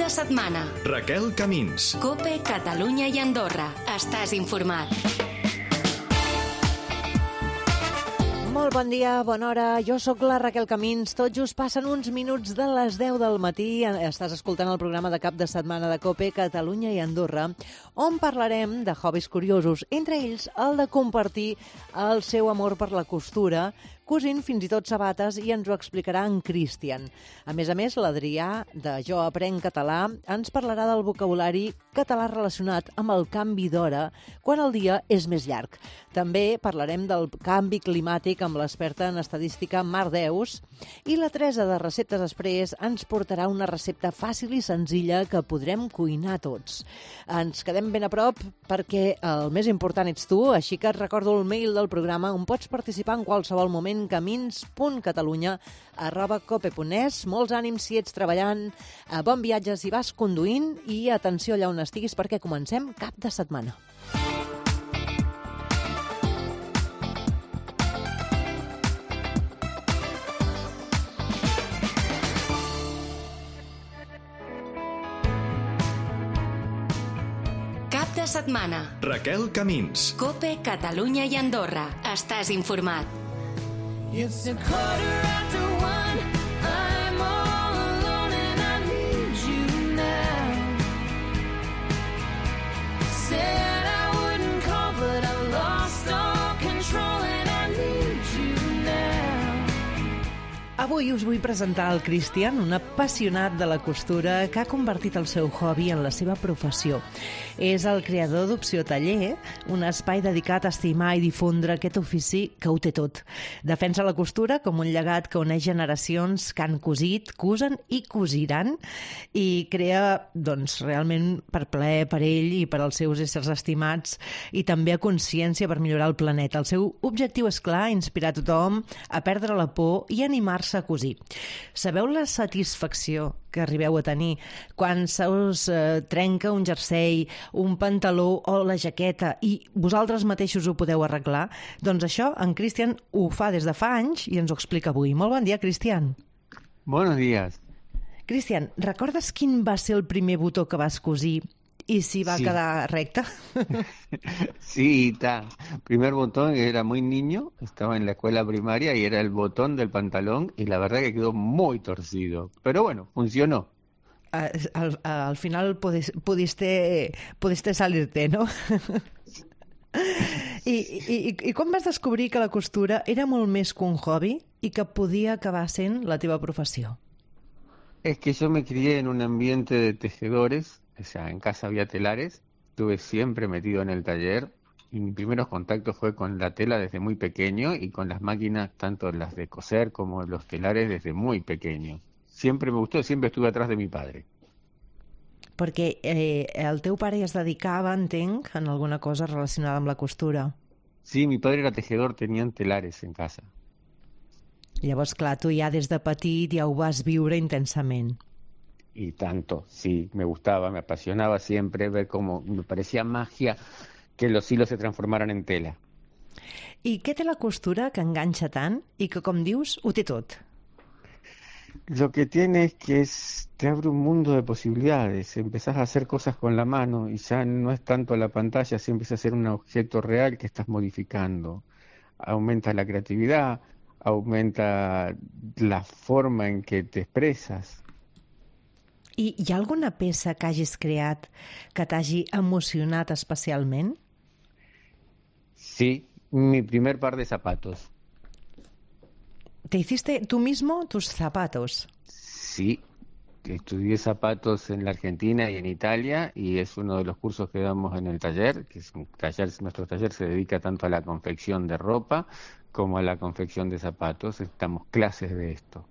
de setmana. Raquel Camins. COPE, Catalunya i Andorra. Estàs informat. Molt bon dia, bona hora. Jo sóc la Raquel Camins. Tot just passen uns minuts de les 10 del matí. Estàs escoltant el programa de cap de setmana de COPE, Catalunya i Andorra, on parlarem de hobbies curiosos, entre ells el de compartir el seu amor per la costura, cosint fins i tot sabates, i ens ho explicarà en Cristian. A més, l'Adrià, de Jo Aprenc Català, ens parlarà del vocabulari català relacionat amb el canvi d'hora quan el dia és més llarg. També parlarem del canvi climàtic amb l'experta en estadística Mar Deus, i la Teresa de Receptes Exprés ens portarà una recepta fàcil i senzilla que podrem cuinar tots. Ens quedem ben a prop perquè el més important ets tu, així que et recordo el mail del programa on pots participar en qualsevol moment, camins.catalunya@cope.es. Molts ànims si ets treballant, bon viatge si vas conduint i atenció allà on estiguis perquè comencem cap de setmana. Cap de setmana. Raquel Camins. COPE, Catalunya i Andorra. Estàs informat. It's a quarter after one. I'm all alone and I need you now. Said I wouldn't call, but I lost all control and I need you now. Avui us vull presentar el Cristian, un apassionat de la costura que ha convertit el seu hobby en la seva professió. És el creador d'Opció Taller, un espai dedicat a estimar i difondre aquest ofici que ho té tot. Defensa la costura com un llegat que uneix generacions que han cosit, cosen i cosiran, i crea, doncs, realment per plaer per ell i per als seus éssers estimats, i també a consciència per millorar el planeta. El seu objectiu és clar, inspirar tothom a perdre la por i animar-se a cosir. Sabeu la satisfacció que arribeu a tenir quan se us trenca un jersei, un pantaló o la jaqueta i vosaltres mateixos ho podeu arreglar? Doncs això en Cristian ho fa des de fa anys i ens ho explica avui. Molt bon dia, Cristian. Buenos días. Cristian, recordes quin va ser el primer botó que vas cosir y si va a quedar recta? Sí, está. Primer botón, era muy niño, estaba en la escuela primaria y era el botón del pantalón y la verdad que quedó muy torcido. Pero bueno, funcionó. Al final pudiste salirte, ¿no? I com vas descobrir que la costura era molt més que un hobby i que podia acabar sent la teva professió? Es que yo me crié en un ambiente de tejedores, o sea, en casa había telares, estuve siempre metido en el taller y mis primeros contactos fue con la tela desde muy pequeño y con las máquinas, tanto las de coser como los telares desde muy pequeño. Siempre me gustó, siempre estuve atrás de mi padre. Perquè el teu pare es dedicava, entenc, en alguna cosa relacionada amb la costura. Sí, mi padre era tejedor, tenían telares en casa. Llavors, clar, tu ja des de petit ja ho vas viure intensament. Y tanto, sí, me gustaba, me apasionaba siempre ver cómo me parecía magia que los hilos se transformaran en tela. I què té la costura que enganxa tant i que, com dius, ho té tot? Lo que tiene es que te abre un mundo de posibilidades, empezás a hacer cosas con la mano y ya no es tanto la pantalla, se empieza a ser un objeto real que estás modificando. Aumenta la creatividad, aumenta la forma en que te expresas. I hi ha alguna peça que hagis creat que t'hagi emocionat especialment? Sí, mi primer par de zapatos. ¿Te hiciste tú mismo tus zapatos? Sí, estudié zapatos en la Argentina y en Italia y es uno de los cursos que damos en el taller, que es un taller, nuestro taller se dedica tanto a la confección de ropa como a la confección de zapatos, damos clases de esto.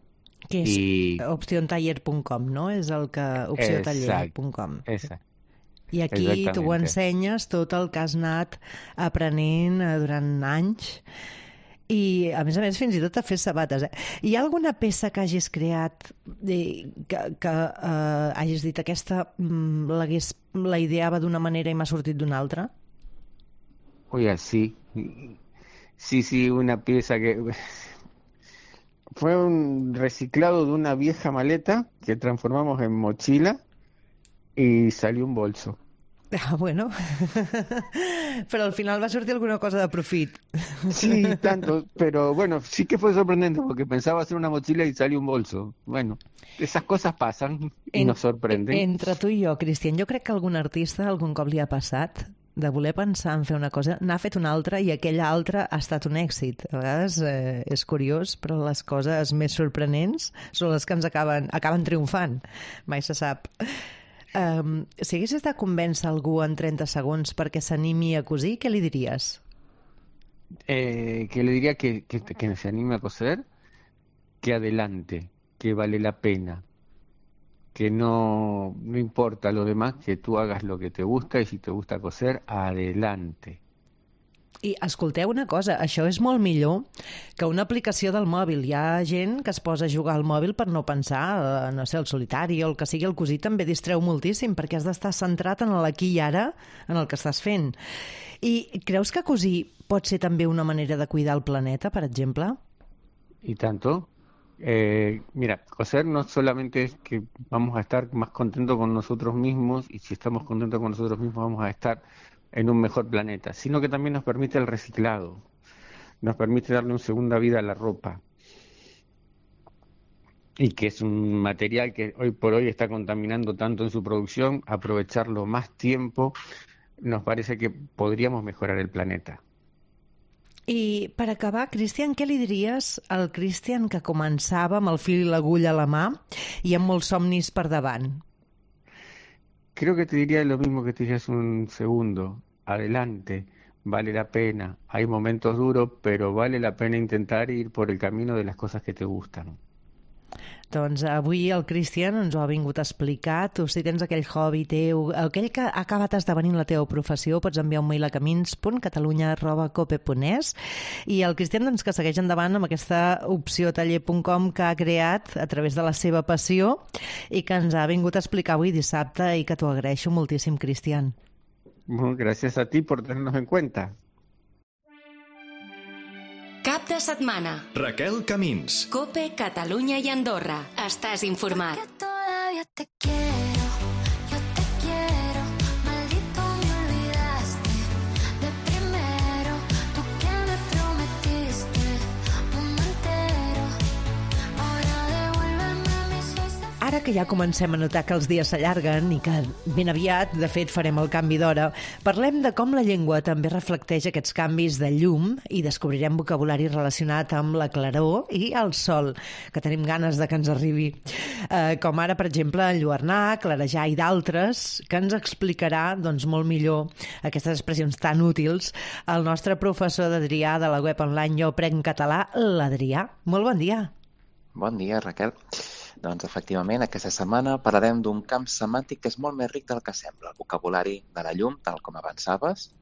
Que és opciontaller.com, no? És el que... opciontaller.com. Exacte. I aquí tu ho ensenyes tot el que has anat aprenent durant anys i, a més, fins i tot a fer sabates. Hi ha alguna peça que hagis creat que hagis dit aquesta la ideava d'una manera i m'ha sortit d'una altra? Oiga, sí. Sí, una pieza que... Fue un reciclado de una vieja maleta que transformamos en mochila y salió un bolso. Ah, bueno. Però al final va sortir alguna cosa de profit. Sí, tanto, pero bueno, sí que fue sorprendente porque pensaba hacer una mochila y salió un bolso. Bueno, esas cosas pasan y nos sorprenden. Entre tu i jo, Cristian, jo crec que algun artista algun cop li ha passat de voler pensar en fer una cosa, n'ha fet una altra i aquella altra ha estat un èxit. A vegades és curiós, però les coses més sorprenents són les que ens acaben triomfant. Mai se sap. Si haguessis de convèncer algú en 30 segons perquè s'animi a cosir, què li diries? Que le diría que se anime a coser, que adelante, que vale la pena, que no importa lo demás, que tú hagas lo que te gusta y si te gusta coser, adelante. I escolteu una cosa, això és molt millor que una aplicació del mòbil. Hi ha gent que es posa a jugar al mòbil per no pensar, no sé, el solitari o el que sigui, el cosir també distreu moltíssim perquè has d'estar centrat en l'aquí i ara, en el que estàs fent. I creus que cosir pot ser també una manera de cuidar el planeta, per exemple? Y tanto. Mira, coser no solamente es que vamos a estar más contentos con nosotros mismos, y si estamos contentos con nosotros mismos vamos a estar en un mejor planeta, sino que también nos permite el reciclado, nos permite darle una segunda vida a la ropa, y que es un material que hoy por hoy está contaminando tanto en su producción. Aprovecharlo más tiempo, nos parece que podríamos mejorar el planeta. I per acabar, Cristian, què li diries al Cristian que començava amb el fil i l'agulla a la mà i amb molts somnis per davant? Creo que te diría lo mismo que te dije hace un segundo. Adelante, vale la pena. Hay momentos duros, pero vale la pena intentar ir por el camino de las cosas que te gustan. Doncs avui el Cristian ens ho ha vingut a explicar. Tu, si tens aquell hobby teu, aquell que ha acabat esdevenint la teva professió, pots enviar un mail a camins.catalunya@cope.es. I el Cristian, doncs, que segueix endavant amb aquesta opció taller.com que ha creat a través de la seva passió i que ens ha vingut a explicar avui dissabte i que t'ho agraeixo moltíssim, Cristian. Bueno, gracias a ti por tenernos en cuenta. Cap de setmana. Raquel Camins. Cope, Catalunya i Andorra. Estàs informat. Que todavía te quiero, yo te quiero, maldito me olvidaste de primero, tú que me prometiste mundo entero, ahora devuélveme mis sueños. Ara que ja comencem a notar que els dies s'allarguen i que ben aviat, de fet, farem el canvi d'hora, parlem de com la llengua també reflecteix aquests canvis de llum i descobrirem vocabulari relacionat amb la claror i el sol, que tenim ganes de que ens arribi. Com ara, per exemple, enlluernar, clarejar i d'altres, que ens explicarà doncs, molt millor aquestes expressions tan útils el nostre professor d'Adrià de la web online Jo Aprenc Català, l'Adrià. Molt bon dia. Bon dia, Raquel. Doncs, efectivament, aquesta setmana parlarem d'un camp semàntic que és molt més ric del que sembla, el vocabulari de la llum, tal com avançaves.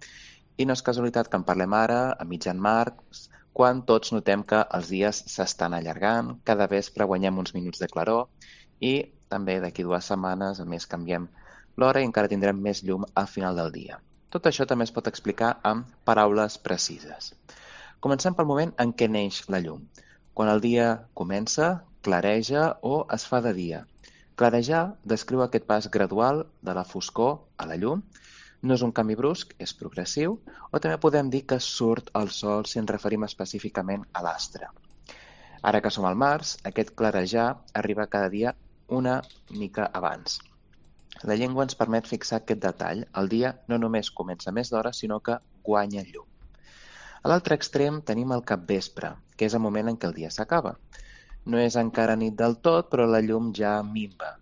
I no és casualitat que en parlem ara, a mitjan març, quan tots notem que els dies s'estan allargant, cada vespre guanyem uns minuts de claror i també d'aquí 2 setmanes, a més, canviem l'hora i encara tindrem més llum al final del dia. Tot això també es pot explicar amb paraules precises. Comencem pel moment en què neix la llum. Quan el dia comença, clareja o es fa de dia. Clarejar descriu aquest pas gradual de la foscor a la llum. No és un canvi brusc, és progressiu, o també podem dir que surt el sol si ens referim específicament a l'astre. Ara que som al març, aquest clarejar arriba cada dia una mica abans. La llengua ens permet fixar aquest detall. El dia no només comença més d'hora, sinó que guanya llum. A l'altre extrem tenim el capvespre, que és el moment en què el dia s'acaba. No és encara nit del tot, però la llum ja minva.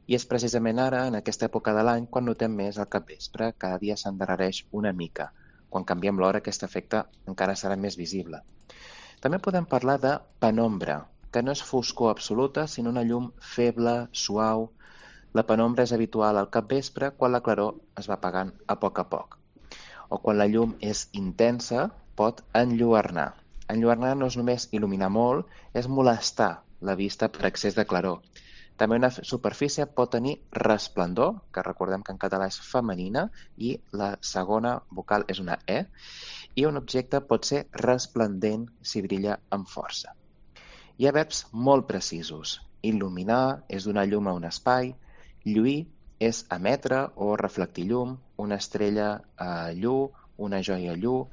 I és precisament ara, en aquesta època de l'any, quan notem més el capvespre. Cada dia s'endarrereix una mica. Quan canviem l'hora, aquest efecte encara serà més visible. També podem parlar de penombra, que no és foscor absoluta, sinó una llum feble, suau. La penombra és habitual al capvespre quan la claror es va apagant a poc. O quan la llum és intensa, pot enlluernar. Enlluernar no és només il·luminar molt, és molestar la vista per excés de claror. També una superfície pot tenir resplendor, que recordem que en català és femenina, i la segona vocal és una E, i un objecte pot ser resplendent si brilla amb força. Hi ha verbs molt precisos. Il·luminar és donar llum a un espai, lluir és emetre o reflectir llum, una estrella llum, una joia llum,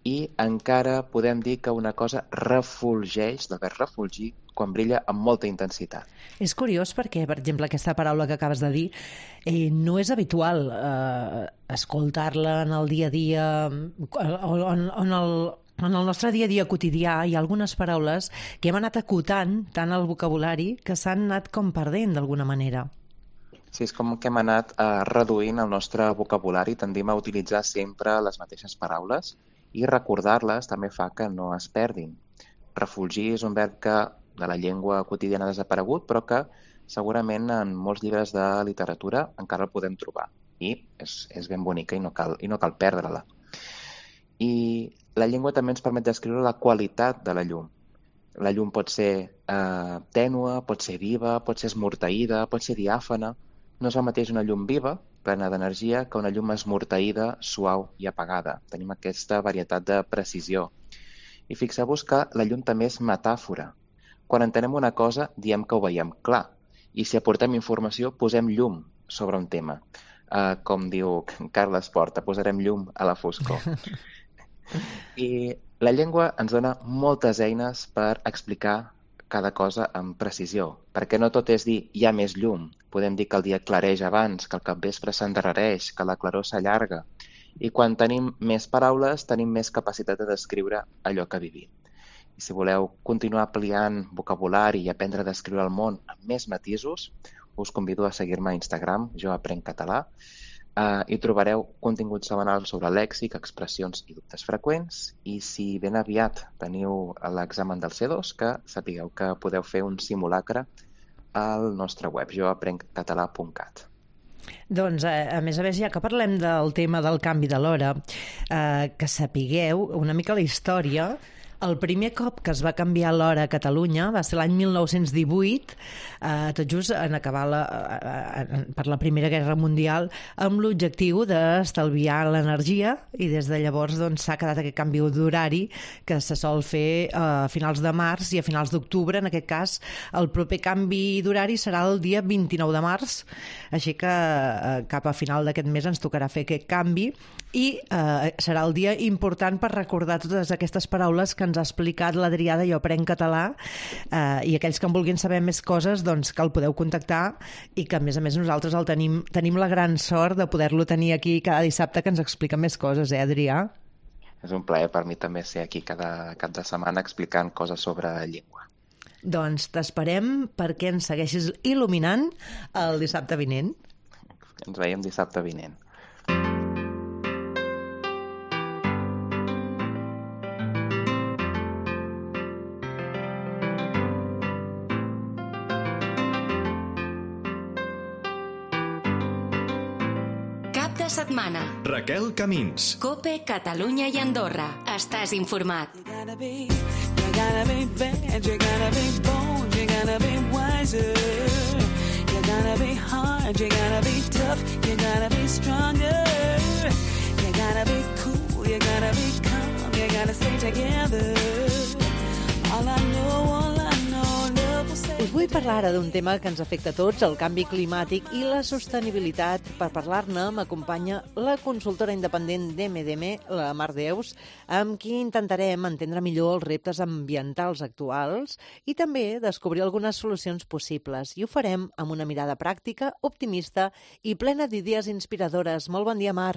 i encara podem dir que una cosa refulgeix, de verb refulgir, quan brilla amb molta intensitat. És curiós perquè, per exemple, aquesta paraula que acabes de dir no és habitual escoltar-la en el dia a dia en el nostre dia a dia quotidià. Hi ha algunes paraules que hem anat acotant tant al vocabulari que s'han anat com perdent d'alguna manera. Sí, és com que hem anat reduint el nostre vocabulari, tendim a utilitzar sempre les mateixes paraules i recordar-les també fa que no es perdin. Refulgir és un verb que de la llengua quotidiana ha desaparegut, però que segurament en molts llibres de literatura encara el podem trobar. I és ben bonica i no cal perdre-la. I la llengua també ens permet descriure la qualitat de la llum. La llum pot ser tènue, pot ser viva, pot ser esmorteïda, pot ser diàfana. No és el mateix una llum viva, plena d'energia, que una llum esmorteïda, suau i apagada. Tenim aquesta varietat de precisió. I fixeu-vos que la llum també és metàfora. Quan entenem una cosa, diem que ho veiem clar. I si aportem informació, posem llum sobre un tema. Com diu Carles Porta, posarem llum a la foscor. I la llengua ens dona moltes eines per explicar cada cosa amb precisió, perquè no tot és dir hi ha més llum. Podem dir que el dia clareix abans, que el capvespre s'endarrereix, que la claror s'allarga. I quan tenim més paraules, tenim més capacitat de descriure allò que vivim. I si voleu continuar ampliant vocabulari i aprendre a descriure el món amb més matisos, us convido a seguir-me a Instagram, Jo Aprenc Català, i trobareu contingut setmanal sobre lèxic, expressions i dubtes freqüents. I si ben aviat teniu l'examen del C2, que sapigueu que podeu fer un simulacre al nostre web, joaprenccatalà.cat. Doncs, a més, ja que parlem del tema del canvi de l'hora, que sapigueu una mica la història. El primer cop que es va canviar l'hora a Catalunya va ser l'any 1918, tot just en acabar per la Primera Guerra Mundial, amb l'objectiu d'estalviar l'energia, i des de llavors s'ha quedat aquest canvi d'horari que se sol fer a finals de març i a finals d'octubre. En aquest cas, el proper canvi d'horari serà el dia 29 de març, així que cap a final d'aquest mes ens tocarà fer aquest canvi i serà el dia important per recordar totes aquestes paraules que ens ha explicat l'Adrià de Jo Aprenc Català, i aquells que en vulguin saber més coses, doncs que el podeu contactar, i que a més nosaltres el tenim la gran sort de poder-lo tenir aquí cada dissabte, que ens explica més coses, Adrià? És un plaer per mi també ser aquí cada cap de setmana explicant coses sobre llengua. Doncs t'esperem perquè ens segueixis il·luminant el dissabte vinent. Ens veiem dissabte vinent. Setmana. Raquel Camins. COPE, Catalunya i Andorra. Estàs informat. You gotta be bad, you gotta be bold, you gotta be wiser. You gotta be hard, you gotta be tough, you gotta be stronger. You gotta be cool, you gotta be calm, you gotta stay together. All I know, love will say. Us vull parlar ara d'un tema que ens afecta a tots, el canvi climàtic i la sostenibilitat. Per parlar-ne m'acompanya la consultora independent d'MDM, la Mar Deus, amb qui intentarem entendre millor els reptes ambientals actuals i també descobrir algunes solucions possibles. I ho farem amb una mirada pràctica, optimista i plena d'idees inspiradores. Molt bon dia, Mar.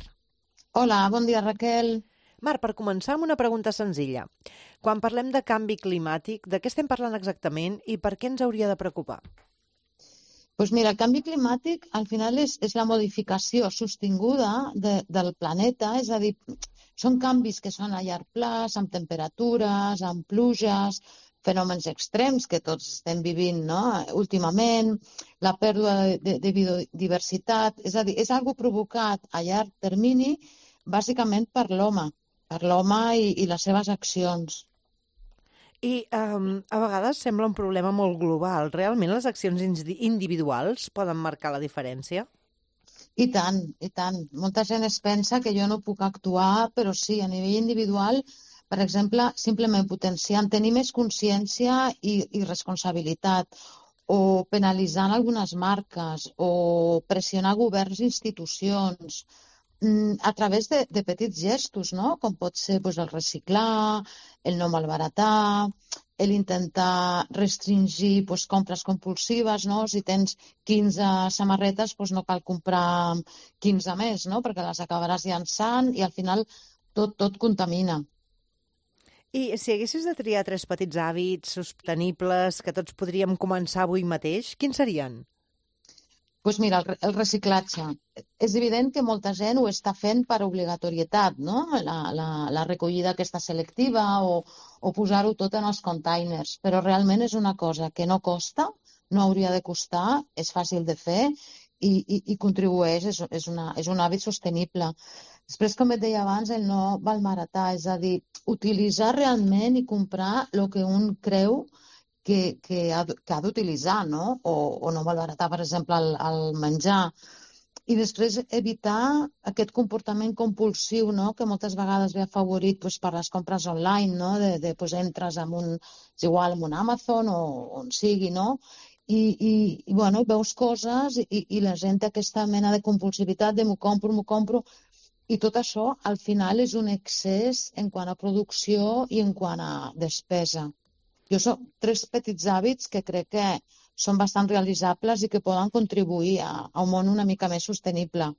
Hola, bon dia, Raquel. Mar, per començar amb una pregunta senzilla. Quan parlem de canvi climàtic, de què estem parlant exactament i per què ens hauria de preocupar? Pues mira, el canvi climàtic al final és la modificació sostinguda del planeta, és a dir, són canvis que són a llarg plaç, amb temperatures, amb pluges, fenòmens extrems que tots estem vivint, no? Últimament, la pèrdua de biodiversitat, és a dir, és algo provocat a llarg termini bàsicament per l'home i les seves accions. I a vegades sembla un problema molt global. Realment les accions individuals poden marcar la diferència? I tant, i tant. Molta gent es pensa que jo no puc actuar, però sí, a nivell individual, per exemple, simplement potenciant, tenir més consciència i responsabilitat, o penalitzant algunes marques, o pressionar governs i institucions, a través de petits gestos, no? Com pot ser doncs, el reciclar, el no malbaratar, l'intentar restringir doncs, compres compulsives, no? Si tens 15 samarretes, doncs no cal comprar 15 més, no? Perquè les acabaràs llançant i al final tot contamina. I si haguessis de triar 3 petits hàbits sostenibles que tots podríem començar avui mateix, quins serien? Doncs mira, el reciclatge. És evident que molta gent ho està fent per obligatorietat, no? La recollida aquesta selectiva o posar-ho tot en els containers, però realment és una cosa que no costa, no hauria de costar, és fàcil de fer i contribueix, és un hàbit sostenible. Després, com et deia abans, el no malbaratar, és a dir, utilitzar realment i comprar el que un creu que ha d'utilitzar, no? O no malbaratar, per exemple, el menjar. I després evitar aquest comportament compulsiu, no? Que moltes vegades ve afavorit doncs, per les compres online, no? Doncs entres en és igual, en un Amazon o on sigui, no? I bueno, veus coses i la gent té aquesta mena de compulsivitat de m'ho compro, i tot això al final és un excés en quant a producció i en quant a despesa. Jo són 3 petits hàbits que crec que són bastant realitzables i que poden contribuir a un món una mica més sostenible.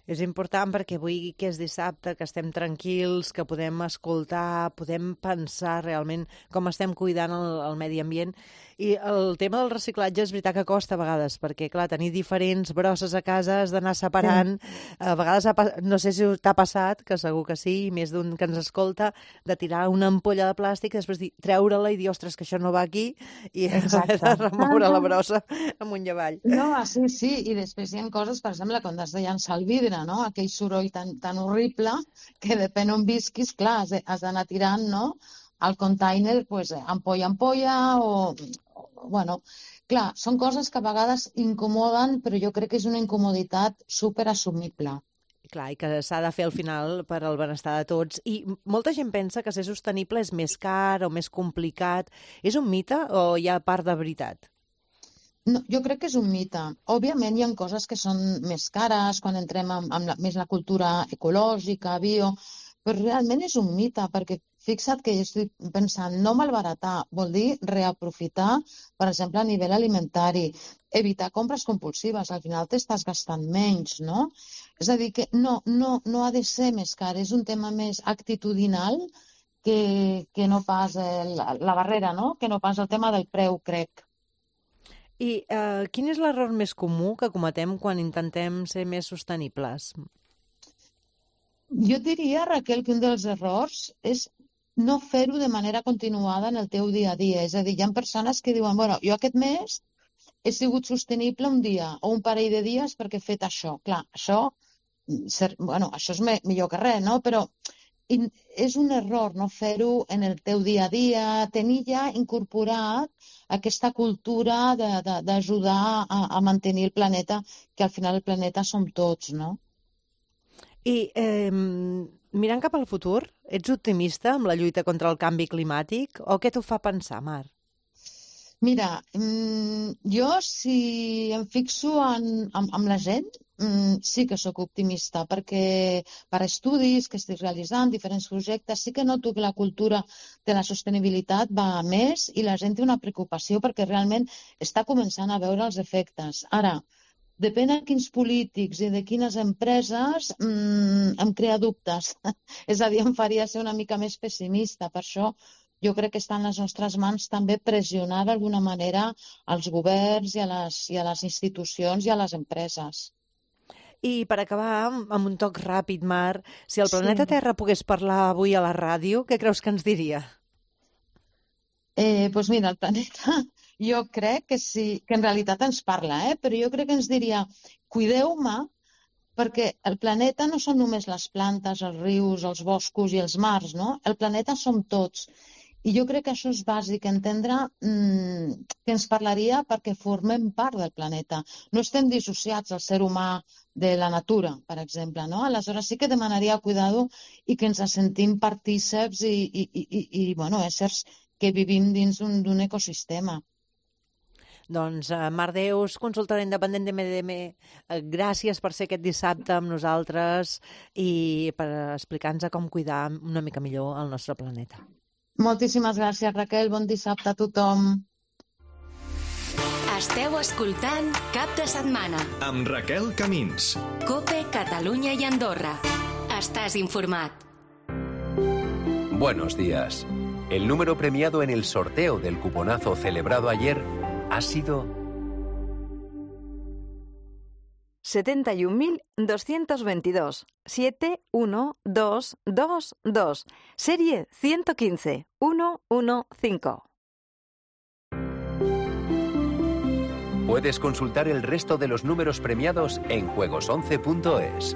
És important perquè avui que és dissabte, que estem tranquils, que podem escoltar, podem pensar realment com estem cuidant el medi ambient. I el tema del reciclatge és veritat que costa a vegades, perquè, clar, tenir diferents brosses a casa has d'anar separant. A vegades, no sé si t'ha passat, que segur que sí, més d'un que ens escolta, de tirar una ampolla de plàstic i després treure-la i dir, ostres, que això no va aquí, i haver de remoure la brossa amunt i avall. No, sí, i després hi ha coses, per exemple, quan has de llançar el vidre, no? Aquell soroll tan horrible que depèn on visquis, clar, has d'anar tirant, no? Al container, pues, ampolla o... Bueno, clar, són coses que a vegades incomoden, però jo crec que és una incomoditat superassumible. Clar, i que s'ha de fer al final per al benestar de tots. I molta gent pensa que ser sostenible és més car o més complicat. És un mite o hi ha part de veritat? No, jo crec que és un mite. Òbviament hi ha coses que són més cares quan entrem amb més la cultura ecològica, bio, però realment és un mite, perquè fixa't que jo estic pensant, no malbaratar vol dir reaprofitar, per exemple, a nivell alimentari, evitar compres compulsives, al final t'estàs gastant menys, no? És a dir, que no ha de ser més car, és un tema més actitudinal que no pas la barrera, no? Que no pas el tema del preu, crec. I quin és l'error més comú que cometem quan intentem ser més sostenibles? Jo diria, Raquel, que un dels errors és no fer-ho de manera continuada en el teu dia a dia. És a dir, hi ha persones que diuen, bueno, jo aquest mes he sigut sostenible un dia o un parell de dies perquè he fet això. Clar, això és millor que res, no? Però és un error no fer-ho en el teu dia a dia, tenir ja incorporat aquesta cultura d'ajudar a mantenir el planeta, que al final el planeta som tots, no? I mirant cap al futur, ets optimista amb la lluita contra el canvi climàtic o què t'ho fa pensar, Mar? Mira, jo si em fixo en la gent, sí que sóc optimista, perquè per estudis que estic realitzant, diferents projectes, sí que noto que la cultura de la sostenibilitat va a més i la gent té una preocupació perquè realment està començant a veure els efectes. Ara, depèn de quins polítics i de quines empreses em crea dubtes. És a dir, em faria ser una mica més pessimista. Per això jo crec que està en les nostres mans també pressionar d'alguna manera als governs i a les institucions i a les empreses. I per acabar, amb un toc ràpid, Mar, si el planeta Terra pogués parlar avui a la ràdio, què creus que ens diria? Doncs mira, el planeta jo crec que sí, que en realitat ens parla, però jo crec que ens diria cuideu-me perquè el planeta no són només les plantes, els rius, els boscos i els mars, no? El planeta som tots. I jo crec que això és bàsic, entendre que ens parlaria perquè formem part del planeta. No estem dissociats, el ser humà, de la natura, per exemple, no? Aleshores sí que demanaria cuidado i que ens sentim partíceps i bueno, éssers que vivim dins d'un ecosistema. Doncs, Mar Deus, consultora independent de MDM, gràcies per ser aquest dissabte amb nosaltres i per explicar-nos com cuidar una mica millor el nostre planeta. Moltíssimes gràcies, Raquel. Bon dissabte a tothom. Esteu escoltant Cap de Setmana. Amb Raquel Camins. COPE, Catalunya i Andorra. Estàs informat. Buenos días. El número premiado en el sorteo del cuponazo celebrado ayer ha sido 71.222 71222, serie 115 115. Puedes consultar el resto de los números premiados en juegos11.es.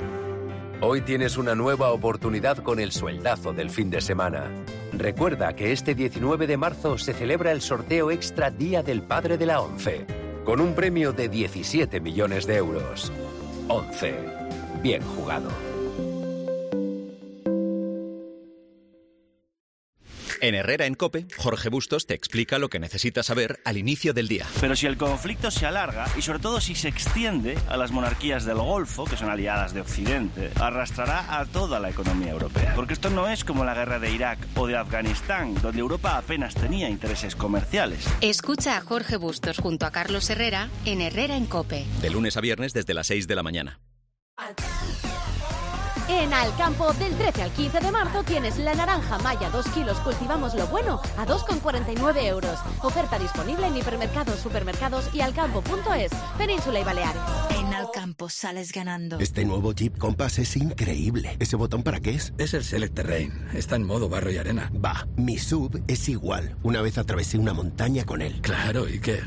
Hoy tienes una nueva oportunidad con el sueldazo del fin de semana. Recuerda que este 19 de marzo se celebra el sorteo extra Día del Padre de la ONCE, con un premio de 17 millones de euros. 11. Bien jugado. En Herrera en COPE, Jorge Bustos te explica lo que necesitas saber al inicio del día. Pero si el conflicto se alarga y sobre todo si se extiende a las monarquías del Golfo, que son aliadas de Occidente, arrastrará a toda la economía europea. Porque esto no es como la guerra de Irak o de Afganistán, donde Europa apenas tenía intereses comerciales. Escucha a Jorge Bustos junto a Carlos Herrera en Herrera en COPE. De lunes a viernes desde las 6 de la mañana. En Alcampo, del 13 al 15 de marzo tienes la naranja Maya 2 kilos Cultivamos lo Bueno a 2,49 euros. Oferta disponible en hipermercados, supermercados y alcampo.es, Península y Baleares. En Alcampo sales ganando. Este nuevo Jeep Compass es increíble. ¿Ese botón para qué es? Es el Select Terrain. Está en modo barro y arena. Va, mi SUV es igual. Una vez atravesé una montaña con él. Claro, ¿y qué?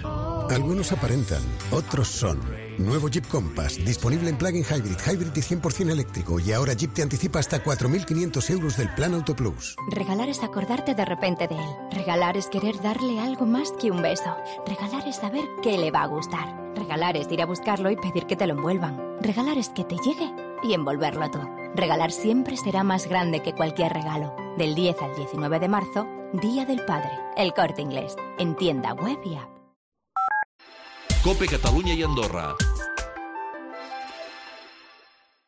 Algunos aparentan, otros son. Nuevo Jeep Compass, disponible en plug-in hybrid y 100% eléctrico. Y ahora Jeep te anticipa hasta 4.500 euros del Plan Auto Plus. Regalar es acordarte de repente de él. Regalar es querer darle algo más que un beso. Regalar es saber qué le va a gustar. Regalar es ir a buscarlo y pedir que te lo envuelvan. Regalar es que te llegue y envolverlo tú. Regalar siempre será más grande que cualquier regalo. Del 10 al 19 de marzo, Día del Padre. El Corte Inglés. En tienda web y app. COPE Catalunya y Andorra.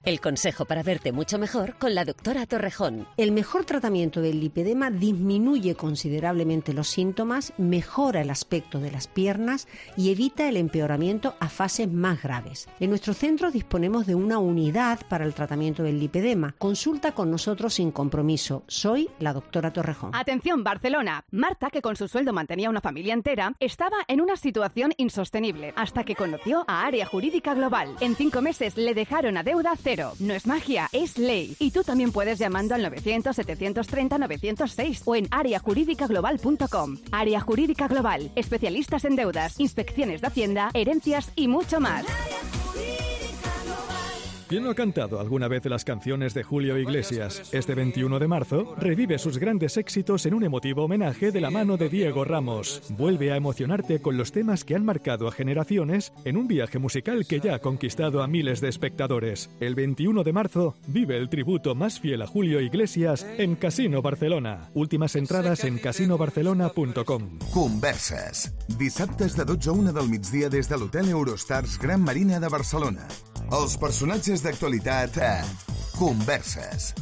El consejo para verte mucho mejor con la doctora Torrejón. El mejor tratamiento del lipedema disminuye considerablemente los síntomas, mejora el aspecto de las piernas y evita el empeoramiento a fases más graves. En nuestro centro disponemos de una unidad para el tratamiento del lipedema. Consulta con nosotros sin compromiso. Soy la doctora Torrejón. Atención, Barcelona. Marta, que con su sueldo mantenía una familia entera, estaba en una situación insostenible hasta que conoció a Área Jurídica Global. En 5 meses le dejaron a deuda cero. No es magia, es ley. Y tú también puedes llamando al 900-730-906 o en areajurídicaglobal.com. Área Jurídica Global. Especialistas en deudas, inspecciones de Hacienda, herencias y mucho más. ¿Quién no ha cantado alguna vez las canciones de Julio Iglesias? Este 21 de marzo revive sus grandes éxitos en un emotivo homenaje de la mano de Diego Ramos. Vuelve a emocionarte con los temas que han marcado a generaciones en un viaje musical que ya ha conquistado a miles de espectadores. El 21 de marzo vive el tributo más fiel a Julio Iglesias en Casino Barcelona. Últimas entradas en casinobarcelona.com. Converses. Dissabtes de 12 a 1 del migdia des de l'Hotel Eurostars Gran Marina de Barcelona. Els personatges d'actualitat a Converses.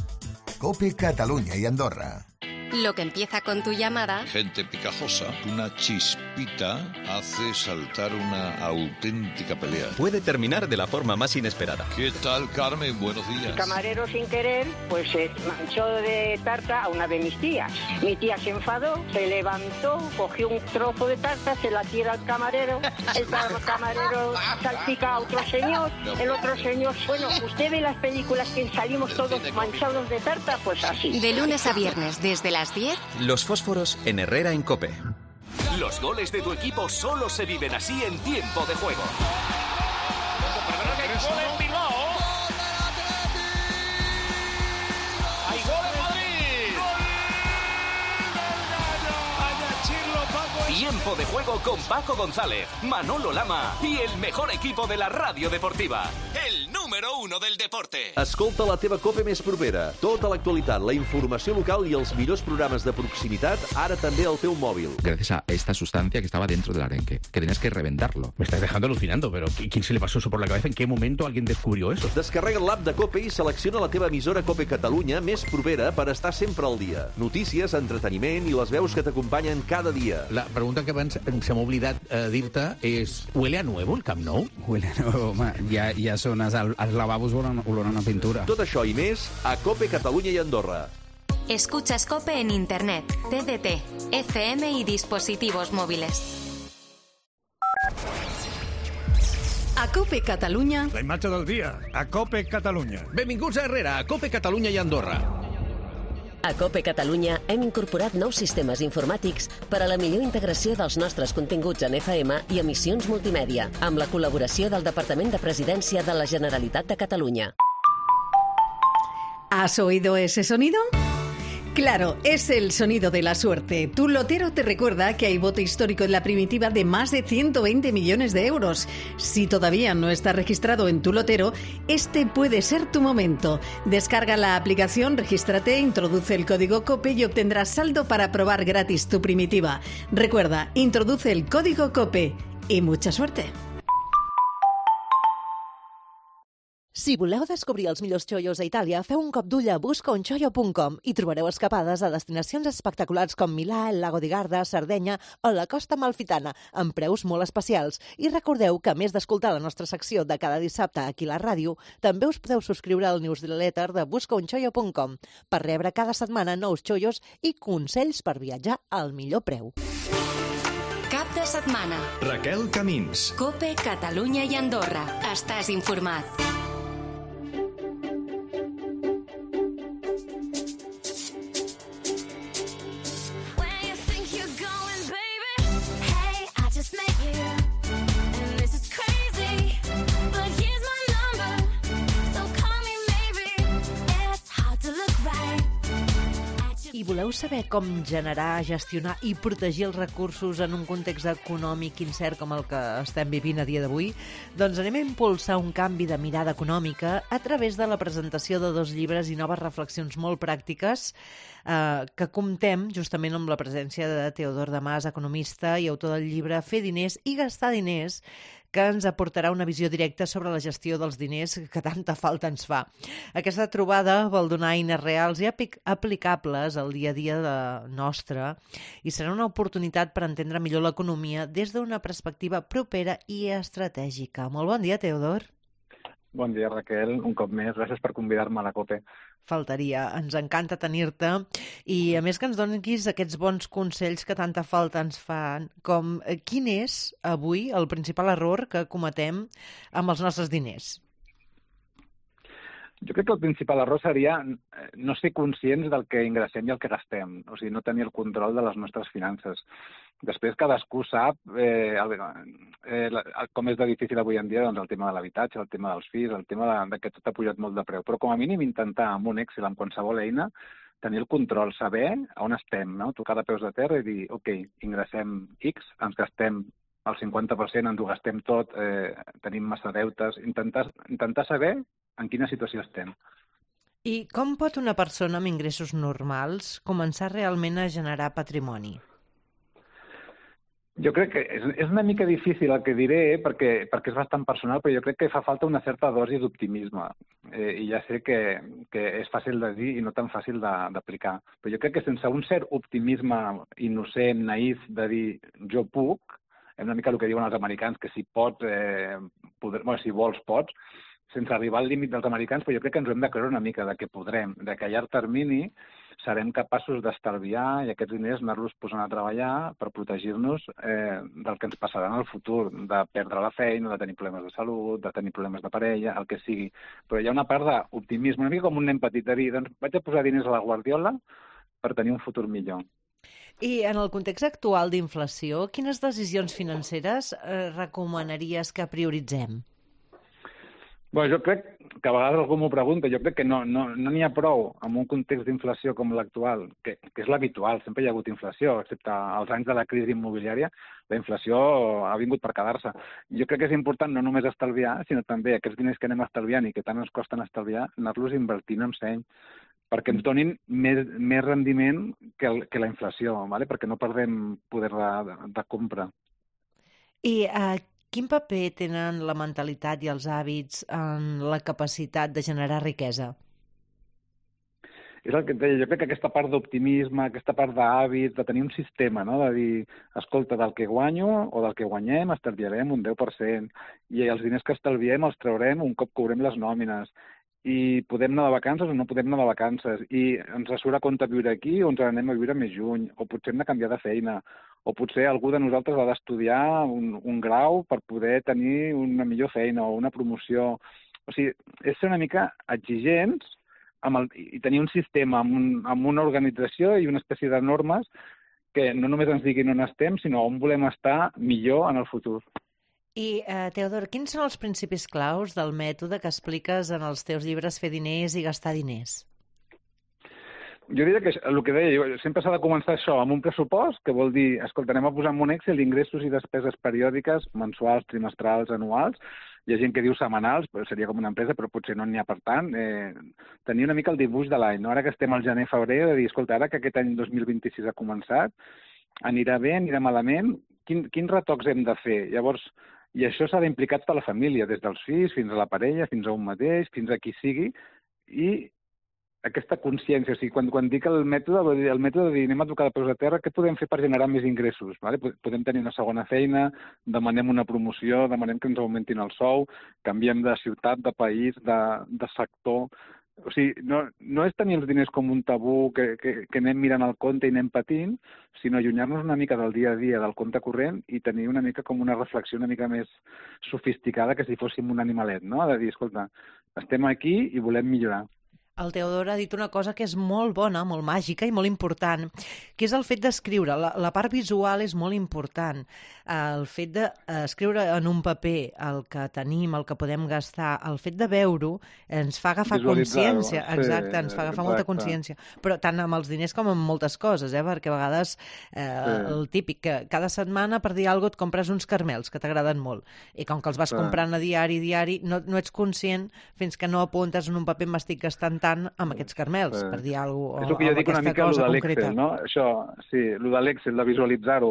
COPE Catalunya y Andorra. Lo que empieza con tu llamada. Gente picajosa, una chispita hace saltar una auténtica pelea. Puede terminar de la forma más inesperada. ¿Qué tal, Carmen? Buenos días. El camarero, sin querer, pues se manchó de tarta a una de mis tías. Mi tía se enfadó, se levantó, cogió un trozo de tarta, se la tira al camarero. El camarero salpica a otro señor. El otro señor, bueno, usted ve las películas que salimos todos manchados de tarta, pues así. De lunes a viernes, desde las 10. Los fósforos en Herrera en COPE. Los goles de tu equipo solo se viven así en tiempo de juego. Hay gol en Bilbao. Hay gol en Madrid. Tiempo de Juego con Paco González, Manolo Lama y el mejor equipo de la ràdio deportiva. El número 1 del deporte. Escolta la teva COPE més propera. Tota l'actualitat, la informació local i els millors programes de proximitat, ara també al teu mòbil. Gracias a esta sustancia que estaba dentro del arenque, que tenías que reventarlo. Me estás dejando alucinando, pero ¿quién se le pasó eso por la cabeza? ¿En qué momento alguien descubrió eso? Descarrega l'app de COPE i selecciona la teva emissora COPE Catalunya més propera per estar sempre al dia. Notícies, entreteniment i les veus que t'acompanyen cada dia. La pregunta que abans se m'ha oblidat dir-te és: ¿huele a nuevo el Camp Nou? Huele a nuevo, home. Ja són els lavabos olorant a pintura. Tot això i més a COPE Catalunya i Andorra. Escuchas COPE en Internet, TDT, FM y dispositivos móviles. A COPE Catalunya... La imatge del dia, a COPE Catalunya. Benvinguts a Herrera, a COPE Catalunya i Andorra. A COPE Catalunya hem incorporat nous sistemes informàtics per a la millor integració dels nostres continguts en FM i emissions multimèdia, amb la col·laboració del Departament de Presidència de la Generalitat de Catalunya. ¿Has oído ese sonido? Claro, es el sonido de la suerte. Tu lotero te recuerda que hay bote histórico en la primitiva de más de 120 millones de euros. Si todavía no está registrado en tu lotero, este puede ser tu momento. Descarga la aplicación, regístrate, introduce el código COPE y obtendrás saldo para probar gratis tu primitiva. Recuerda, introduce el código COPE y mucha suerte. Si voleu descobrir els millors xollos a Itàlia, feu un cop d'ull a buscaunxollo.com i trobareu escapades a destinacions espectaculars com Milà, el Lago di Garda, Sardenya o la Costa Amalfitana, amb preus molt especials. I recordeu que, a més d'escoltar la nostra secció de cada dissabte aquí a la ràdio, també us podeu subscriure al newsletter de buscaunxollo.com per rebre cada setmana nous xollos i consells per viatjar al millor preu. Cap de setmana. Raquel Camins. COPE Catalunya i Andorra. Estàs informat. I voleu saber com generar, gestionar i protegir els recursos en un context econòmic incert com el que estem vivint a dia d'avui? Doncs anem a impulsar un canvi de mirada econòmica a través de la presentació de 2 llibres i noves reflexions molt pràctiques que comptem justament amb la presència de Teodor Damas, economista i autor del llibre Fer diners i gastar diners, que ens aportarà una visió directa sobre la gestió dels diners que tanta falta ens fa. Aquesta trobada vol donar eines reals i aplicables al dia a dia nostre i serà una oportunitat per entendre millor l'economia des d'una perspectiva propera i estratègica. Molt bon dia, Teodor. Bon dia, Raquel. Un cop més, gràcies per convidar-me a la COPE. Faltaria, ens encanta tenir-te i a més que ens donis aquests bons consells que tanta falta ens fan, com quin és avui el principal error que cometem amb els nostres diners? Jo crec que el principal error seria no ser conscients del que ingressem i el que gastem, o sigui, no tenir el control de les nostres finances. Després cadascú sap com és de difícil avui en dia doncs, el tema de l'habitatge, el tema dels fills, el tema de que tot ha pujat molt de preu, però com a mínim intentar amb un Excel, amb qualsevol eina, tenir el control, saber on estem, no? Tocar de peus de terra i dir, ok, ingressem X, ens gastem el 50%, ens ho gastem tot, tenim massa deutes, intentar saber en quina situació estem. I com pot una persona amb ingressos normals començar realment a generar patrimoni? Jo crec que és una mica difícil el que diré perquè és bastant personal, però jo crec que fa falta una certa dosi d'optimisme. I ja sé que és fàcil de dir i no tan fàcil d'aplicar. Però jo crec que sense un cert optimisme innocent, naïf, de dir jo puc, una mica el que diuen els americans, que si pots, si vols, pots, sense arribar al límit dels americans, però jo crec que ens ho hem de creure una mica, de que podrem, de que a llarg termini serem capaços d'estalviar i aquests diners anar-los posant a treballar per protegir-nos del que ens passarà en el futur, de perdre la feina, de tenir problemes de salut, de tenir problemes de parella, el que sigui. Però hi ha una part d'optimisme, una mica com un nen petit, de dir, doncs vaig a posar diners a la guardiola per tenir un futur millor. I en el context actual d'inflació, quines decisions financeres recomanaries que prioritzem? Bé, jo crec que a vegades algú m'ho pregunta, jo crec que no n'hi ha prou en un context d'inflació com l'actual, que és l'habitual, sempre hi ha hagut inflació, excepte els anys de la crisi immobiliària, la inflació ha vingut per quedar-se. Jo crec que és important no només estalviar, sinó també aquests diners que anem estalviant i que tant ens costen estalviar, anar-los invertint en seny, perquè ens donin més rendiment que la inflació, ¿vale? Perquè no perdem poder de compra. I quin paper tenen la mentalitat i els hàbits en la capacitat de generar riquesa? És el que et deia, jo crec que aquesta part d'optimisme, aquesta part d'hàbit, de tenir un sistema, no? De dir, escolta, del que guanyo o del que guanyem estalviarem un 10%, i els diners que estalviem els traurem un cop cobrem les nòmines, i podem anar de vacances o no podem anar de vacances, i ens surt a compte viure aquí o ens anem a viure més lluny, o potser hem de canviar de feina, o potser algú de nosaltres ha d'estudiar un grau per poder tenir una millor feina o una promoció. O sigui, és ser una mica exigents i tenir un sistema amb una organització i una espècie de normes que no només ens diguin on estem, sinó on volem estar millor en el futur. I, Teodor, quins són els principis claus del mètode que expliques en els teus llibres Fer diners i gastar diners? Jo diria que el que deia, sempre s'ha de començar això, amb un pressupost, que vol dir, escolta, anem a posar en un Excel ingressos i despeses periòdiques, mensuals, trimestrals, anuals. Hi ha gent que diu setmanals, seria com una empresa, però potser no n'hi ha per tant. Tenir una mica el dibuix de l'any, no? Ara que estem al gener-febrer, de dir, escolta, ara que aquest any 2026 ha començat, anirà bé, anirà malament, quins retocs hem de fer? Llavors, i això s'ha d'implicar tota la família, des dels fills fins a la parella, fins a un mateix, fins a qui sigui, i aquesta consciència. O sigui, quan dic el mètode de dir anem a tocar de peus a terra, què podem fer per generar més ingressos? Vale? Podem tenir una segona feina, demanem una promoció, demanem que ens augmentin el sou, canviem de ciutat, de país, de sector. O sigui, no és tenir els diners com un tabú que anem mirant el compte i anem patint, sinó allunyar-nos una mica del dia a dia, del compte corrent, i tenir una mica com una reflexió una mica més sofisticada que si fóssim un animalet, no? De dir, escolta, estem aquí i volem millorar. El Teodor ha dit una cosa que és molt bona, molt màgica i molt important, que és el fet d'escriure. La part visual és molt important. El fet d'escriure en un paper el que tenim, el que podem gastar, el fet de veure-ho ens fa agafar consciència. Exacte, ens fa agafar molta consciència. Però tant amb els diners com amb moltes coses, perquè a vegades el típic, que cada setmana per dir alguna cosa et compres uns caramels que t'agraden molt. I com que els vas comprant a diari, no ets conscient fins que no apuntes en un paper m'estic gastant tant amb aquests caramels, per dir alguna cosa. És el que jo dic una mica el de l'Excel, no? Això, sí, el de l'Excel, de visualitzar-ho.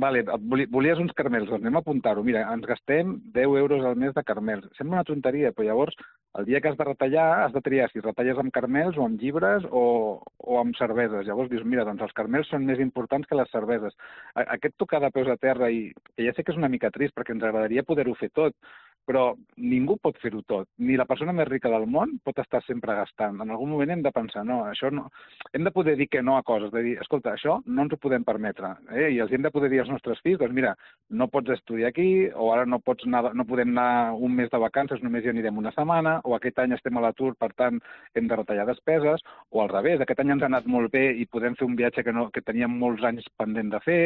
Vale, volies uns caramels, doncs anem a apuntar-ho. Mira, ens gastem 10 euros al mes de caramels. Sembla una tonteria, però llavors, el dia que has de retallar, has de triar si retalles amb caramels o amb llibres o amb cerveses. Llavors dius, mira, doncs els caramels són més importants que les cerveses. Aquest tocar de peus a terra, i que ja sé que és una mica trist, perquè ens agradaria poder-ho fer tot, però ningú pot fer-ho tot. Ni la persona més rica del món pot estar sempre gastant. En algun moment hem de pensar, no, això no. Hem de poder dir que no a coses, de dir, escolta, això no ens ho podem permetre. I els hem de poder dir als nostres fills, doncs mira, no pots estudiar aquí, o ara no podem anar un mes de vacances, només hi anirem una setmana, o aquest any estem a l'atur, per tant, hem de retallar despeses, o al revés, aquest any ens ha anat molt bé i podem fer un viatge que teníem molts anys pendent de fer.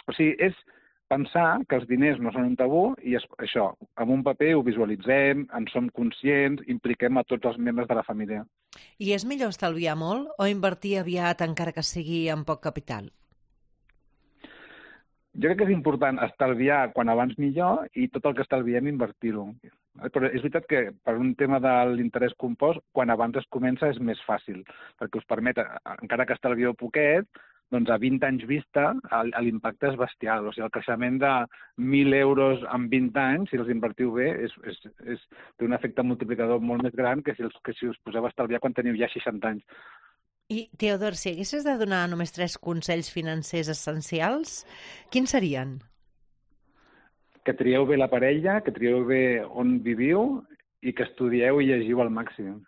O sigui, és pensar que els diners no són un tabú i això, amb un paper ho visualitzem, en som conscients, impliquem a tots els membres de la família. I és millor estalviar molt o invertir aviat encara que sigui amb poc capital? Jo crec que és important estalviar quan abans millor i tot el que estalviem invertir-ho. Però és veritat que per un tema de l'interès compost, quan abans es comença és més fàcil, perquè us permet, encara que estalvieu poquet, doncs a 20 anys vista l'impacte és bestial. O sigui, el creixement de 1.000 euros en 20 anys, si els invertiu bé, té un efecte multiplicador molt més gran que si us poseu a estalviar quan teniu ja 60 anys. I, Teodor, si haguessis de donar només 3 consells financers essencials, quins serien? Que trieu bé la parella, que trieu bé on viviu i que estudieu i llegiu al màxim.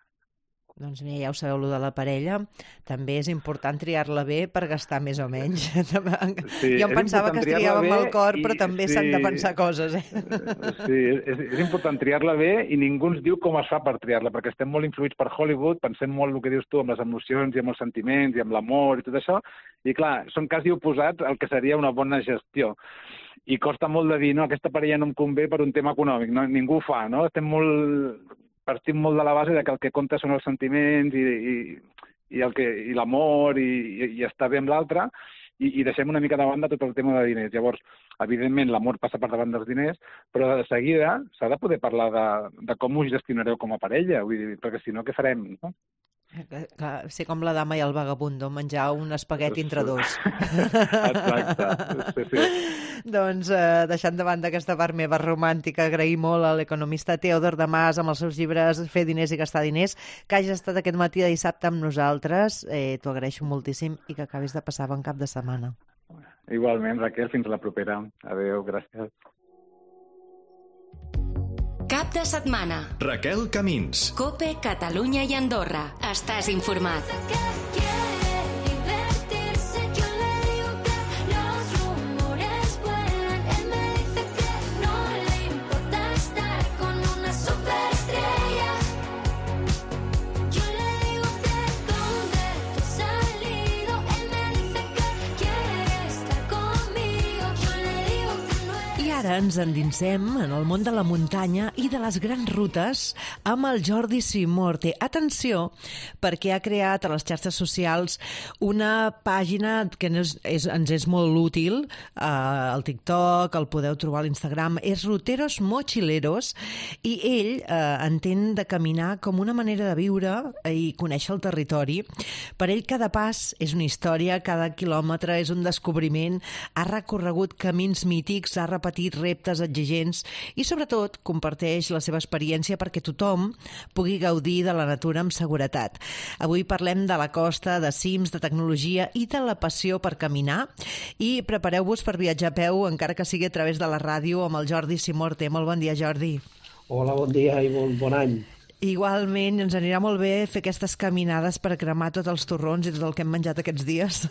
Doncs mira, ja ho sabeu, allò de la parella. També és important triar-la bé per gastar més o menys. Sí, jo em pensava que es triava amb el cor, però també s'han de pensar coses. Sí, és important triar-la bé i ningú ens diu com es fa per triar-la, perquè estem molt influïts per Hollywood, pensem molt el que dius tu amb les emocions i amb els sentiments i amb l'amor i tot això, i clar, són quasi oposats al que seria una bona gestió. I costa molt de dir, no, aquesta parella no em convé per un tema econòmic, no? Ningú ho fa, no? Estem molt partim molt de la base de que el que compta són els sentiments i l'amor i estar bé amb l'altre, i deixem una mica de banda tot el tema de diners. Llavors, evidentment, l'amor passa per davant dels diners, però de seguida s'ha de poder parlar de com us gestionareu com a parella, vull dir, perquè si no, què farem, no? Clar, ser com la dama i el vagabundo, menjar un espagueti entre dos. Exacte, sí. Doncs, deixant de banda aquesta part meva romàntica, agrair molt a l'economista Teodor Damas amb els seus llibres Fer diners i gastar diners, que hagi estat aquest matí de dissabte amb nosaltres. T'ho agraeixo moltíssim i que acabis de passar bon cap de setmana. Igualment, Raquel, fins la propera. Adéu, gràcies. Cap de setmana. Raquel Camins. COPE, Catalunya i Andorra. Estàs informat. Ara ens endinsem en el món de la muntanya i de les grans rutes amb el Jordi Simorte. Atenció, perquè ha creat a les xarxes socials una pàgina que ens és molt útil, al TikTok, el podeu trobar a l'Instagram, és Ruteros Mochileros, i ell entén de caminar com una manera de viure i conèixer el territori. Per ell cada pas és una història, cada quilòmetre és un descobriment, ha recorregut camins mítics, ha repetit reptes exigents i, sobretot, comparteix la seva experiència perquè tothom pugui gaudir de la natura amb seguretat. Avui parlem de la costa, de cims, de tecnologia i de la passió per caminar, i prepareu-vos per viatjar a peu, encara que sigui a través de la ràdio, amb el Jordi Simorte. Molt bon dia, Jordi. Hola, bon dia i bon any. Igualment, ens anirà molt bé fer aquestes caminades per cremar tots els torrons i tot el que hem menjat aquests dies.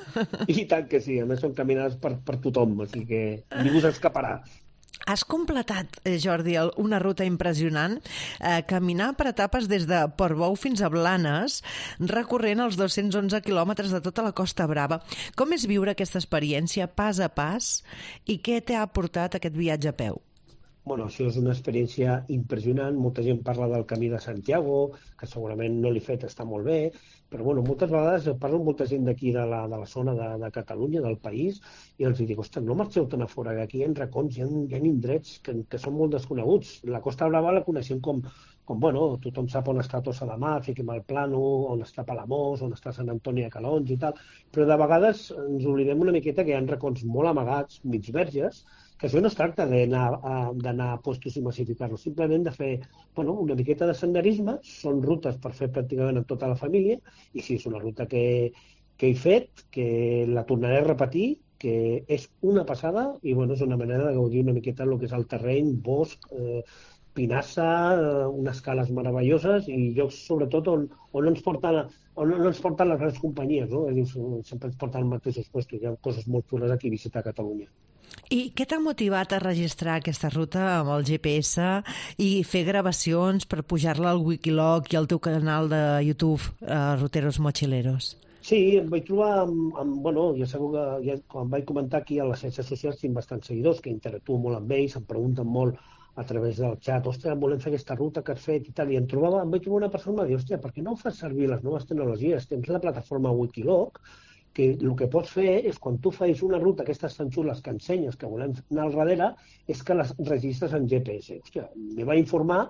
I tant que sí, a més són caminades per tothom, així que ningú s'escaparà. Has completat, Jordi, una ruta impressionant, caminar per etapes des de Portbou fins a Blanes, recorrent els 211 quilòmetres de tota la Costa Brava. Com és viure aquesta experiència pas a pas i què t'ha aportat aquest viatge a peu? Bueno, això és una experiència impressionant. Molta gent parla del Camí de Santiago, que segurament no l'he fet, està molt bé, però bueno, moltes vegades parlo amb molta gent d'aquí de la zona de Catalunya, del país, i els dic, ostres, no marxeu tan a fora, que aquí hi ha racons, hi ha indrets que són molt desconeguts. La Costa Brava la coneixem com bueno, tothom sap on està Tossa de Mar, fiquem al Plano, on està Palamós, on està Sant Antoni de Calonge i tal, però de vegades ens oblidem una miqueta que hi ha racons molt amagats, mig verges, que això no es tracta d'anar a puestos i massificar-los, simplement de fer una miqueta de senderisme. Són rutes per fer pràcticament amb tota la família, i sí, és una ruta que he fet, que la tornaré a repetir, que és una passada, i és una manera de gaudir una miqueta del que és el terreny, bosc, pinassa, unes cales meravelloses i llocs, sobretot, on no ens porten les grans companyies, no? Sempre ens porten als mateixos puestos. Hi ha coses molt xules aquí a visitar a Catalunya. I què t'ha motivat a registrar aquesta ruta amb el GPS i fer gravacions per pujar-la al Wikiloc i al teu canal de YouTube, Ruteros Mochileros? Sí, em vaig trobar ja sabeu que quan vaig comentar aquí a les xarxes socials tinc bastants seguidors que interactuo molt amb ells, em pregunten molt a través del xat, ostres, volem fer aquesta ruta que has fet i tal, i em vaig trobar una persona que em va dir, hòstia, per què no fas servir les noves tecnologies? Tens la plataforma Wikiloc, que el que pots fer és, quan tu fas una ruta, aquestes tan xules que ensenyes, que volem anar al darrere, és que les registres en GPS. Hòstia, me vaig informar,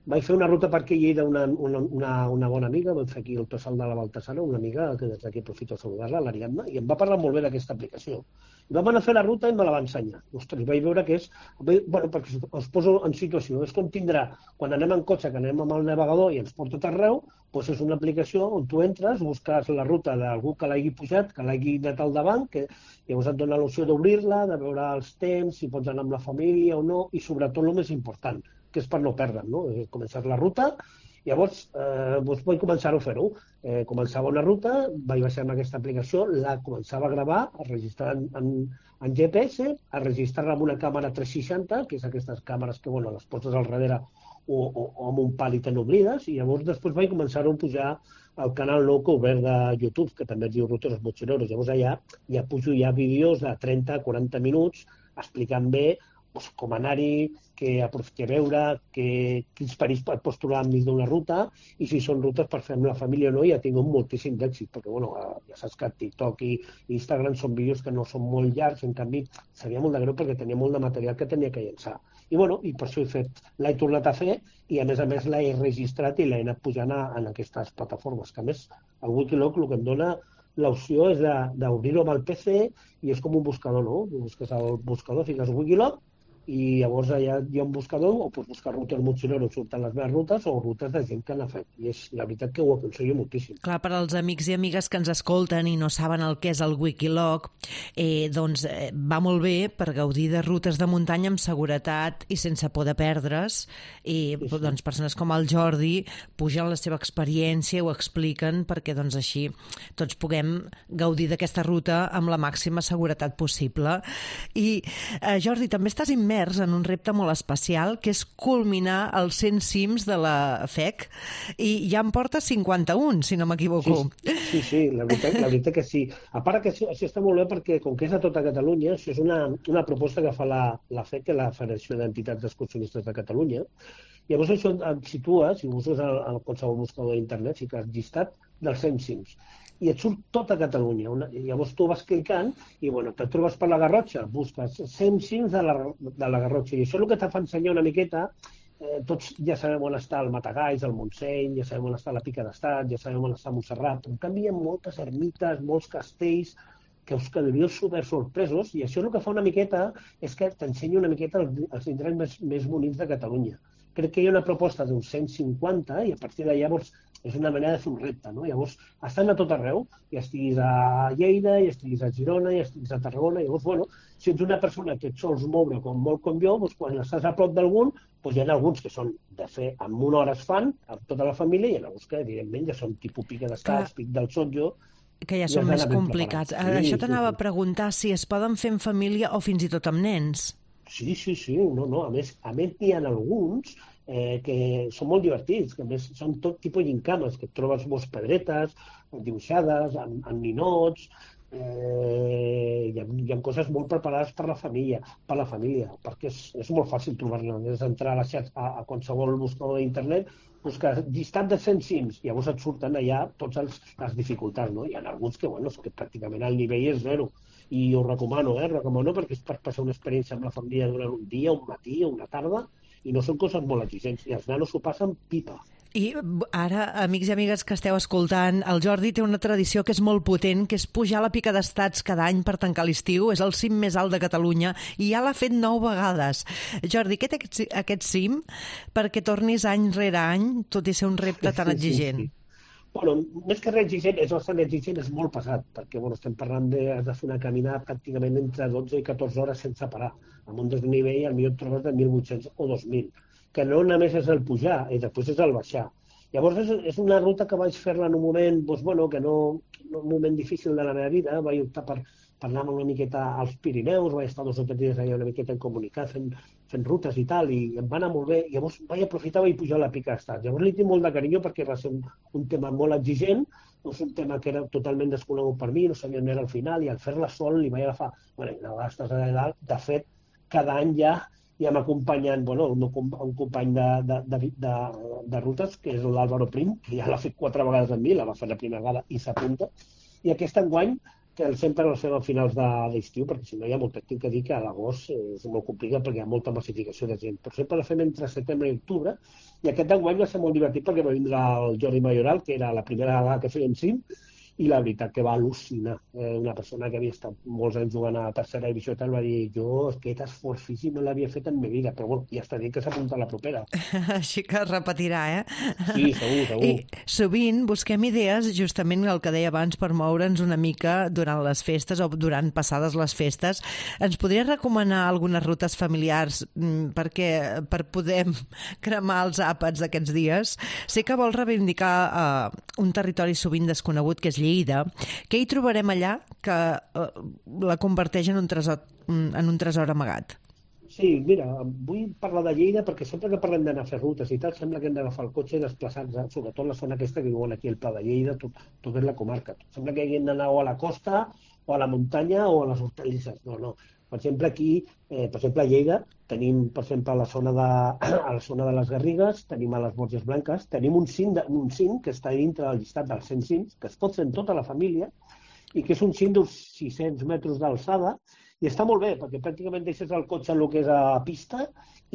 vaig fer una ruta per aquí a Lleida, una bona amiga, vam fer aquí el Tossal de la Baltasara, una amiga que des d'aquí aprofito a saludar-la, l'Ariadna, i em va parlar molt bé d'aquesta aplicació. I vam anar a fer la ruta i me la va ensenyar. Ostres, vaig veure que és... perquè us poso en situació, és com tindrà, quan anem en cotxe, que anem amb el navegador i ens porta tot arreu, doncs és una aplicació on tu entres, busques la ruta d'algú que l'hagi pujat, que l'hagi anat al davant, que llavors et dona l'opció d'obrir-la, de veure els temps, si pots anar amb la família o no, i sobretot el més important, que és per no perdre'n, no? Començar la ruta. Llavors, vaig començar a fer-ho. Començava una ruta, vaig baixar amb aquesta aplicació, la començava a gravar, a registrar en GPS, a registrar-la amb una càmera 360, que és aquestes càmeres que les poses al darrere o amb un pal i te n'oblides, i llavors després vaig començar a pujar al canal nou que he obert de YouTube, que també es diu Ruteros Mochileros. Llavors allà ja pujo vídeos de 30-40 minuts explicant bé com anar-hi, que veure, quins perills pots trobar enmig d'una ruta, i si són rutes per fer amb la família o no, ja tinc moltíssim d'èxit, perquè ja saps que TikTok i Instagram són vídeos que no són molt llargs, en canvi seria molt de greu perquè tenia molt de material que tenia que llençar. I per això l'he tornat a fer, i a més l'he registrat i l'he anat pujant en aquestes plataformes, que a més el Wikiloc el que em dona l'opció és d'obrir-ho amb el PC i és com un buscador, no? Busques el buscador, fiques Wikiloc i llavors allà hi ha un buscador o pots buscar rutes motxilero on surten les meves rutes o rutes de gent que n'ha fet. I és la veritat que ho aconsello moltíssim. Clar, per als amics i amigues que ens escolten i no saben el que és el Wikiloc, doncs va molt bé per gaudir de rutes de muntanya amb seguretat i sense por de perdre's. I doncs persones com el Jordi pugen la seva experiència, ho expliquen perquè doncs així tots puguem gaudir d'aquesta ruta amb la màxima seguretat possible. I Jordi, també estàs immers en un repte molt especial, que és culminar els 100 cims de la FEC, i ja en porta 51, si no m'equivoco. Sí, la veritat que sí. A part que això està molt bé perquè, com que és a tota Catalunya, això és una proposta que fa la FEC, que és la Federació d'Entitats d'Excursionistes de Catalunya. Llavors això et situa, si busques a qualsevol buscador d'internet, fiques llistat dels 100 cims. I et surt tota Catalunya. Llavors tu vas clicant i te trobes per la Garrotxa, busques 100 cims de la Garrotxa. I això és el que te fa ensenyar una miqueta. Tots ja sabem on està el Matagalls, el Montseny, ja sabem on està la Pica d'Estat, ja sabem on està Montserrat. En canvi, hi ha moltes ermites, molts castells, que us quedaríeu super sorpresos, i això el que fa una miqueta és que t'ensenya una miqueta els indrets més bonics de Catalunya. Crec que hi ha una proposta d'uns 150 i a partir de llavors és una manera de fer un repte, no? Llavors estan a tot arreu, ja estiguis a Lleida, ja estiguis a Girona, ja estiguis a Tarragona, llavors, si ets una persona que et sols moure molt com jo, quan estàs a prop d'algun, hi ha alguns que són de fer en una hora es fan, amb tota la família, i hi ha alguns que, evidentment, ja són tipus Pica d'Estats, Pic del Sotjo, que ja són més complicats. Això t'anava a preguntar si es poden fer en família o fins i tot amb nens. Sí, no. A més n'hi ha alguns que són molt divertits, que a més són tot tipus d'incames, que et trobes moltes pedretes dibuixades, amb ninots, hi ha coses molt preparades per la família, perquè és molt fàcil trobar-les. És entrar a qualsevol buscador d'internet, buscar llistat de 100 cims, i llavors et surten allà totes les dificultats, no? Hi ha alguns que pràcticament el nivell és zero, i ho recomano, perquè és per passar una experiència amb la família durant un dia, un matí o una tarda, i no són coses molt exigents, i els nanos s'ho passen pipa. I ara, amics i amigues que esteu escoltant, el Jordi té una tradició que és molt potent, que és pujar a la Pica d'Estats cada any per tancar l'estiu. És el cim més alt de Catalunya i ja l'ha fet 9 vegades. Jordi, què té aquest cim perquè tornis any rere any, tot i ser un repte tan exigent? Més que res exigent, és bastant exigent, és molt pesat, perquè estem parlant de fer una caminada pràcticament entre 12 i 14 hores sense parar, amb un desnivell al millor et trobes de 1.800 o 2.000, que no només és el pujar, i després és el baixar. Llavors és una ruta que vaig fer-la en un moment, un moment difícil de la meva vida, vaig optar per anar una miqueta als Pirineus, vaig estar 2 o 3 dies allà una miqueta en comunicat, fent rutes i tal, i em va anar molt bé. Llavors vaig aprofitar i vaig pujar a la Pica d'Estats. Llavors li tinc molt de carinyo perquè va ser un tema molt exigent, és un tema que era totalment desconegut per mi, no sabia on era al final, i al fer-la sol li vaig agafar, estàs allà dalt, de fet, cada any ja m'ha acompanyat un company de rutes, que és l'Àlvaro Prim, que ja l'ha fet 4 vegades amb mi, la va fer la primera vegada i s'apunta, i aquest enguany que sempre el fem a finals d'estiu, perquè si no hi ha molt, tinc que dir que a l'agost és molt complicat perquè hi ha molta massificació de gent, però sempre la fem entre setembre i octubre, i aquest enguany va ser molt divertit perquè va vindre el Jordi Mayoral, que era la primera vegada que feia un cim, i la veritat que va al·lucinar. Una persona que havia estat molts anys jugant a tercera divisió i tal va dir, jo aquest esforç físic no l'havia fet en mi vida, però ja està dit que s'apunta a la propera. Així que es repetirà, Sí, segur. I sovint busquem idees, justament el que deia abans, per moure'ns una mica durant les festes o durant passades les festes. Ens podries recomanar algunes rutes familiars per poder cremar els àpats d'aquests dies? Sé que vols reivindicar un territori sovint desconegut, que és Lleida. Què hi trobarem allà que la converteix en un tresor amagat? Sí, mira, vull parlar de Lleida perquè sempre que parlem d'anar a fer rutes i tal, sembla que hem d'agafar el cotxe i desplaçar-nos, sobretot la zona aquesta que diuen aquí, el Pla de Lleida, tot és la comarca. Sembla que haguem d'anar o a la costa, o a la muntanya, o a les hortalisses. No. Per exemple, aquí, per exemple, a Lleida, tenim, per exemple, a la zona de les Garrigues, tenim a les Borges Blanques, tenim un cim que està dintre del llistat dels 100 cims, que es pot fer en tota la família, i que és un cim d'uns 600 metres d'alçada, i està molt bé, perquè pràcticament deixes el cotxe en el que és a pista,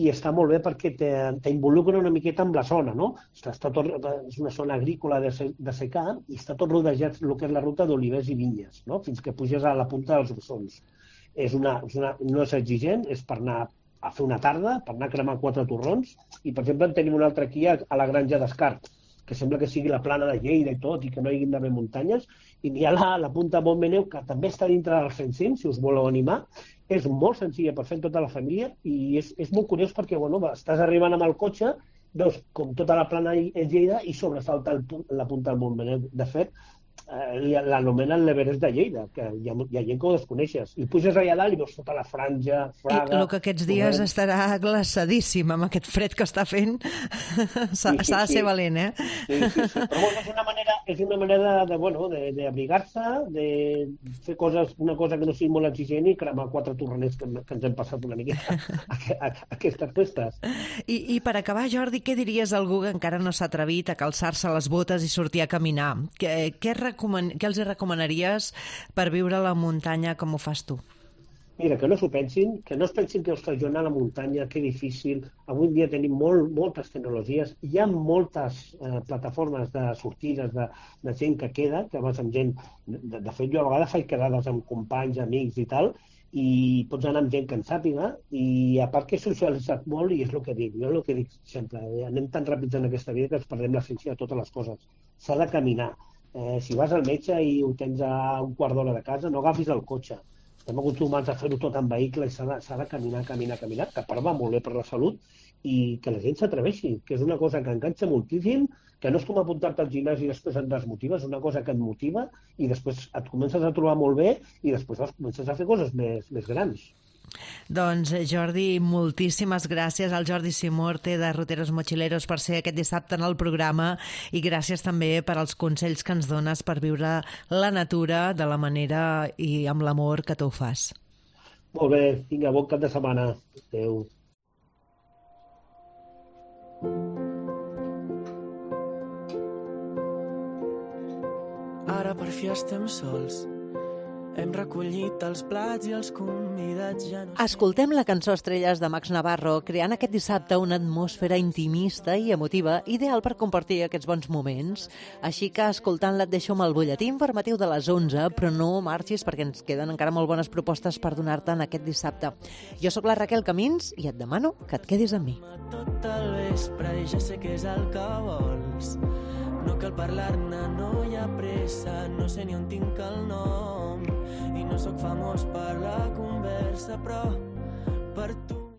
i està molt bé perquè t'involucra una miqueta amb la zona, no? És una zona agrícola de secà i està tot rodejat el que és la ruta d'olivers i vinyes, no? Fins que puges a la punta dels Ossons. No és exigent, és per anar a fer una tarda, per anar a cremar 4 torrons, i per exemple en tenim un altre aquí a la Granja d'Escart, que sembla que sigui la plana de Lleida i tot, i que no hi hagi d'haver muntanyes, i n'hi ha la punta Montmeneu, que també està dintre dels 100 cims, si us voleu animar. És molt senzilla per fer tota la família, i és molt curiós perquè estàs arribant amb el cotxe, veus com tota la plana és Lleida i sobresalta la punta del Montmeneu. De fet, l'anomenen l'Everest de Lleida, que hi ha gent que ho desconeixes. I puges allà dalt i veus tota la franja, Fraga... I el que aquests dies estarà glaçadíssim amb aquest fred que està fent. S'ha de ser valent, eh? Sí. Però és una manera d'abrigar-se, de fer una cosa que no sigui molt exigent i cremar 4 torroners que ens hem passat una miqueta aquestes festes. I per acabar, Jordi, què diries a algú que encara no s'ha atrevit a calçar-se les botes i sortir a caminar? Què els recomanaries per viure a la muntanya com ho fas tu? Mira, que no s'ho pensin, que no es pensin que ostres, jo anar a la muntanya, que difícil. Avui en dia tenim moltes tecnologies, hi ha moltes plataformes de sortides de gent que queda, que vas amb gent... De fet, jo a vegades faig quedades amb companys, amics i tal, i pots anar amb gent que en sàpiga, i a part que he socialitzat molt, i és el que dic, jo el que dic sempre, anem tan ràpids en aquesta vida que ens perdem l'essència de totes les coses. S'ha de caminar. Si vas al metge i ho tens a un quart d'hora de casa, no agafis el cotxe. Estem acostumats a fer-ho tot en vehicle i s'ha de caminar, que a part va molt bé per la salut, i que la gent s'atreveixi, que és una cosa que enganxa moltíssim, que no és com apuntar-te al gimnàs i després et desmotiva, és una cosa que et motiva i després et comences a trobar molt bé i després comences a fer coses més grans. Doncs Jordi, moltíssimes gràcies al Jordi Simorte de Ruteros Mochileros per ser aquest dissabte en el programa, i gràcies també per als consells que ens dones per viure la natura de la manera i amb l'amor que tu ho fas. Molt bé, vinga, bon cap de setmana. Adéu. Ara per fi estem sols. Hem recollit els plats i els convidats ja no... Escoltem la cançó Estrelles de Max Navarro, creant aquest dissabte una atmosfera intimista i emotiva, ideal per compartir aquests bons moments. Així que, escoltant-la, et deixo amb el butlletí informatiu de les 11, però no marxis perquè ens queden encara molt bones propostes per donar-te en aquest dissabte. Jo sóc la Raquel Camins i et demano que et quedis amb mi. Tot el vespre i ja sé què és el que vols. No cal parlar-ne, no hi ha pressa, no sé ni on tinc el nom. I no sóc famós per la conversa, però per tu